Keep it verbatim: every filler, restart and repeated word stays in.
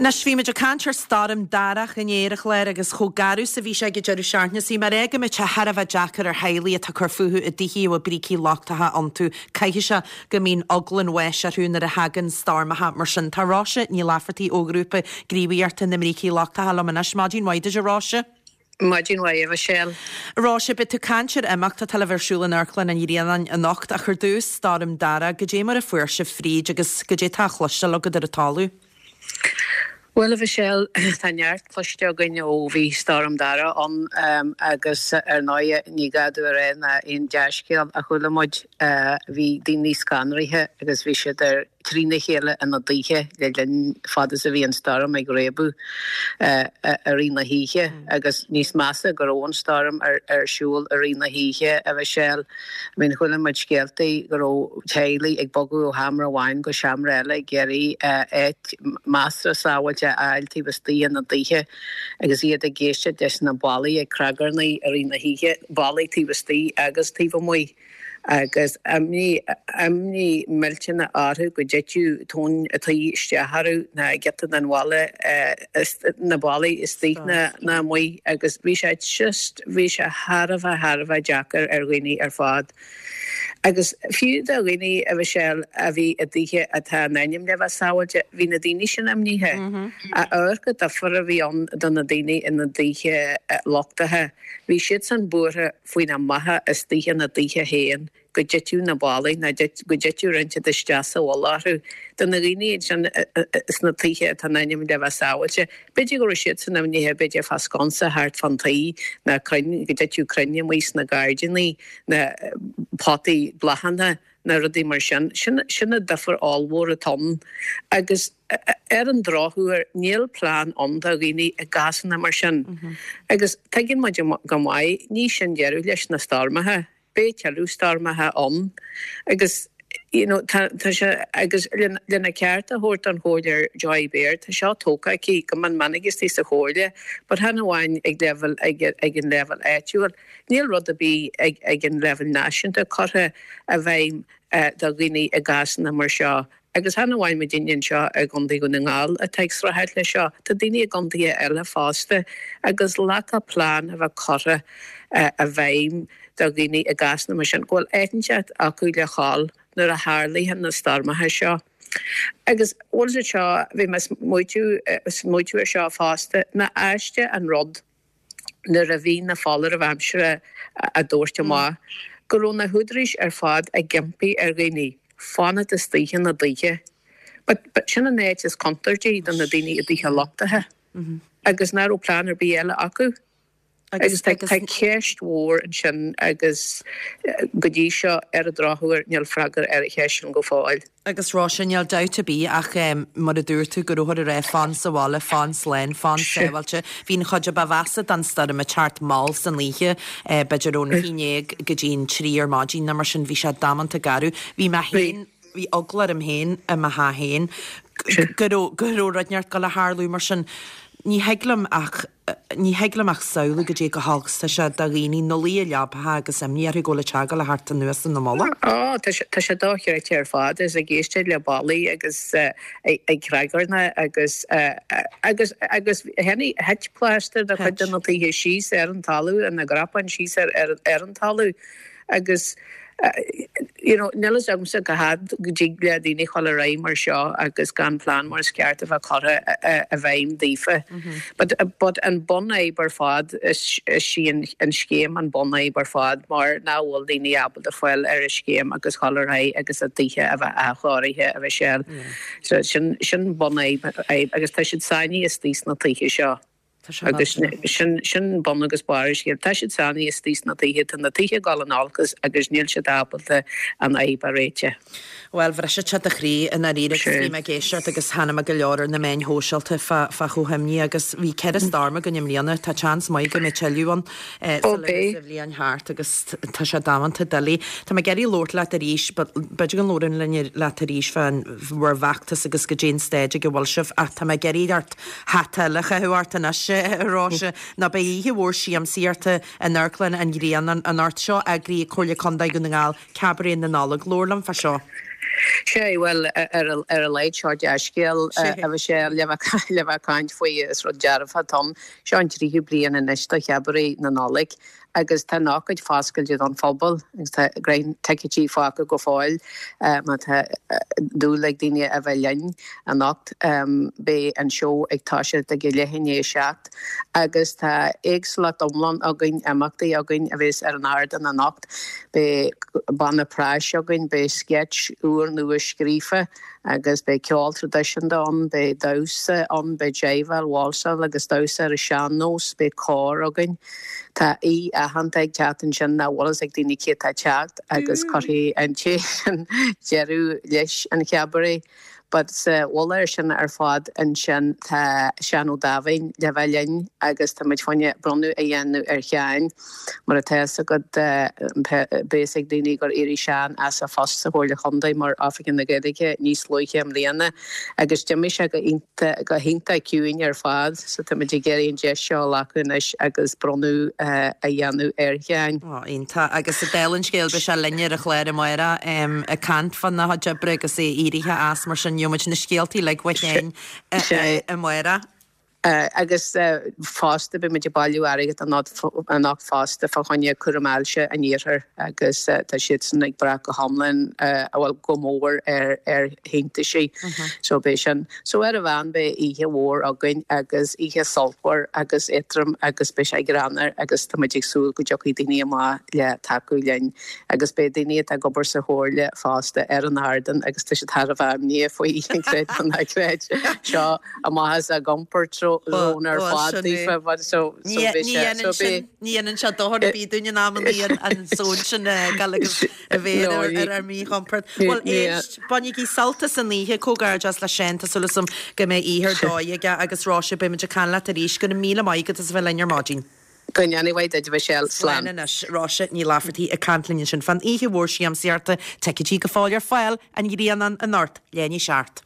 Anois bhí muid ag caint ar Stoirm Darach inné a Chláir agus chomh garbh is a bhí sé ag an deireadh seachtaine. Is mar é go mbeidh sé thar a bheith deacair ar theaghlaigh atá ag cur fúthu i dtithe a bhfuil brící lochtacha iontu. Caithfidh sé go mbíonn eagla an bháis orthu nuair a thagann stoirmeacha mar sin. Tá Róise Ní Laifeartaigh ó ghrúpa gníomhaíochta na mBrící Lochtacha liom anois. Maidin mhaith duit a Róise. Maidin mhaith a Mhichelle. Róise, beidh tú ag caint ar imeacht atá le bheith ar siúl in Amharclann an Ghrianáin anocht ach ar dtús Stoirm Darach, goidé mar a fuair sibh fríd agus goidé tá á chloisteáil agat ar an talamh. Bhuel a Mhichelle, tá neart cloiste againn ó bhí Stoirm Darach ann agus ar ndóigh ní gá domh a rá ná aon dea-scéal a chuala muid. Bhí daoine scanraithe agus bhí siad ar trína chéile ina dtithe le linn fad is a bhí an stoirm ag réabadh i rith na hoíche agus níos measa go raibh an stoirm ar ar siúl i rith na hoíche a Mhichelle. I mean chuala muid scéaltaí go raibh teaghlaigh ag bogadh ó sheomra amháin go seomra eile ag iarraidh áit measartha sábháilte a fháil taobh istigh ina dtithe agus iad ag éisteacht leis na ballaí ag cnagarnaigh i rith na hoíche, ballaí taobh istigh agus taobh amuigh agus imní imní millteanach orthu go dtitfeadh tóin an tí isteach orthu ná giota den bhalla na ballaí istigh ná ná amuigh agus bhí sé just bhí sé thar a bheith thar a bheith deacair ar dhaoine ar fad. Agus fiú do dhaoine, a Mhichelle, a bhí i dtithe atá in ainm le bheith sábháilte, bhí na daoine sin imnithe. Amharc an difear a bhí ann do na daoine ina dtithe lochtacha. Bhí siadsan buartha faoina mbeatha istigh ina dtithe féin, go dtitfeadh na ballaí nó go dtitfeadh rud inteacht isteach sa mhullach orthu. Do na daoine ansin sna tithe atá in ainm le bheith sábháilte, b'fhéidir go raibh siadsan imnithe, b'fhéidir fá sconsa thart fán tí ná crainn, go dtitfeadh crainn amuigh sna gairdíní ná potaí bláthanna ná rudaí mar sin. Sin sin an difear ollmhór atá ann. Agus ar an drochuair níl plean ann do dhaoine i gcásanna mar sin. Agus tuigeann muid go maith, ní sin deireadh leis na stoirmeacha. Beidh tuilleadh stoirmeacha ann agus you know tá tá sé agus lena ceart a thabhairt don Chomhairleoir Joy Baird, tá seo tógtha aici go mion minic istigh sa Chomhairle but chan amháin ag leibhéal ag ag an leibhéal áitiúil. Níl rud ar bith ag ag an leibhéal náisiúnta curtha i bhfeidhm do dhaoine i gcásanna mar seo. Agus chan amháin muidinne anseo i gContae Dhún na nGall atá ag streachailt leis seo, tá daoine i gcontaetha eile fosta agus lacadh plean a bheith curtha i bhfeidhm do dhaoine i gcásanna mar sin, go bhfuil áit inteacht acu le dhul nuair a tharlaíonn na stoirmeacha seo. Agus bhfuil siad seo, bhí mé smaoitiú ar seo fosta, nach aisteach an rud nuair a bhí na foláirimh aimsire á dtabhairt amach, go raibh na húdaráis ar fad ag impí ar dhaoine fanacht istigh ina dtithe. But, but sin an áit is contúirtí do na daoine i dtithe lochtacha agus nach raibh plean ar bith eile acu. Agus tá tá ceist mhór ansin agus go dtí seo ar an drochuair níl freagra ar an cheist sin go fóill. Agus Róise, níl dabht ar bith ach mar a dúirt tú go rabhthar ag rá fan sa bhaile, fan slán, fan sábháilte. Bhí an chuid a ba mheasa den stoirm ag teacht mall san oíche, b'fhéidir ón haon déag go dtí an trí ar maidin nó mar sin, bhí sé damanta garbh. Bhí mé féin, bhí eagla orm féin i mo theach féin go raibh go raibh rud inteacht ag gabháil a tharlú mar sin. Ní thig liom ach ní thig liom ach samhlú goidé chomh holc is tá sé do dhaoine ina luí i leapacha agus imní orthu go bhfuil an teach ag gabháil a theacht anuas ina mullach. Ó, tá sé tá sé dochreidte ar fad is ag éisteacht le ballaí agus ag cnagarnaigh agus agus agus tháinig thit plástar de chuid de na tithe síos ar an talamh, ina gcrapán síos ar ar ar an talamh agus you know, níl fhios agamsa cá fhad go dtig le daoine dhul ar aghaidh mar seo agus gan plean mar is ceart a bheith curtha i bhfeidhm daofa. But, but an bunfhadhb ar fad is, is í an, an scéim an bunfhadhb ar fad mar nach bhfuil daoine ábalta fáil ar an scéim agus dhul ar aghaidh agus a dtithe a bheith athchóirithe a Mhichelle. So sin, sin bunfhadhb agus tá siad sáinnithe istigh sna tithe seo. Agus sin sin bun agus barr an scéil. Tá siad sáinnithe istigh sna tithe, tá na tithe ag dul in olcas agus níl siad ábalta an fhadhb a réiteach. Bhuel, bhrisfeadh sé do chroí i ndáiríre agus bhí mé ag éisteacht agus chonaic mé go leor ar na meáin shóisialta fá fá chomh himní agus bhí ceithre stoirm againn i mbliana, tá seans maith go mbeidh tuilleadh ann sula mbeidh an bhliain thart agus tá sé damanta doiligh. Tá mé ag iarraidh labhairt leat arís but b'fhéidir go labhróinn linn leat arís fán bhur bhfeachtas agus goidé an staid ag a bhfuil sibh ach tá mé ag iarraidh ort hata eile a chaitheamh ort anois a Róise nó beidh oíche mhór siamsaíochta in Amharclann an Ghrianáin anocht seo eagraithe ag Comhairle Contae Dhún na nGall, Cabaret na Nollag. Labhair liom fá seo. Sé bhuel ar ar a laghad seo dea-scéal a Mhichelle le le bheith caint faoi is rud dearfach atá ann. Seo an tríú bliain anois do Chabaret na Nollag agus tá an ócáid foscailte don phobal agus tá roinnt ticéidí fágtha go fóill má tá dúil ag daoine a bheith linn anocht. Beidh an seó ag toiseacht ag leath i ndiaidh a seacht agus tá éagsúlacht iomlán againn, imeachtaí againn a bheas ar an ardán anocht. Beidh banna práis againn, beidh sketch úr nua scríofa agus beidh ceol traidisiúnta ann, beidh damhsa ann, beidh jiveáil, válsáil agus damhsa ar an sean-nós, beidh cór againn. Tá aoi aitheanta ag teacht ansin nach bhfuil fhios ag daoine cé atá ag teacht agus cuirfidh an té sin deireadh leis an chabaret. But sa mhullach air sin ar fad ansin tá Seán Ó Dáimhín le bheith linn agus tá muid fá choinne bronnadh a dhéanamh ar Sheán. Mar atá fhios agat beidh fhios ag daoine gur éirigh Seán as a phost sa Chomhairle Chontae mar Oifigeach na Gaeilge níos luaithe i mbliana agus d'imigh sé go go hiontach ciúin ar fad so tá muid ag iarraidh an deis seo a ghlacadh anois agus bronnadh a dhéanamh ar Sheán. Ó, iontach. Agus dála an scéil beidh sé linn ar an chlár amárach ag caint fána chuid oibre agus é éirithe as mar sin gheobhaidh muid na scéaltaí uilig uaidh féin amárach. Agus fosta beidh muid ag bailiú airgead anocht fosta fá choinne cúram ailse an iarthair agus tá siadsan ag brath go hiomlán, bhuel go mór ar ar shíntiúisí. So beidh sin. So ar an mheán beidh oíche mhór againn agus oíche sultmhar agus éadrom agus beidh sé greannmhar agus tá muid ag súil go dtiocfaidh daoine amach le tacú linn agus beidh daoine atá ag obair sa Chomhairle fosta ar an ardán agus tá siad thar a bheith imníoch faoi, creid nó ná creid, seo amach as a gcomfort zone ar fad daofa but so so bhí sé so bhí Ní dhéanann sé dochar ar bith dúinn in amannaí an zone sin a ghabháil agus a bheith ar ar ár míchompord. Bhuel éist, bainigí sult as an oíche, comhghairdeas le Seán, tá súil agam go mbeidh oíche ar dóigh aige agus Róise beidh muid ag caint leat arís, go raibh míle maith agat as a bheith linn ar maidin. Go ndéana mhaith duit a Mhichelle. Slán Slán. anois. Róise Ní Laifeartaigh ag caint linn ansin fán oíche mhór siamsaíochta, ticéidí go fóill ar fáil, an Ghrianán anocht, leath i ndiaidh a seacht.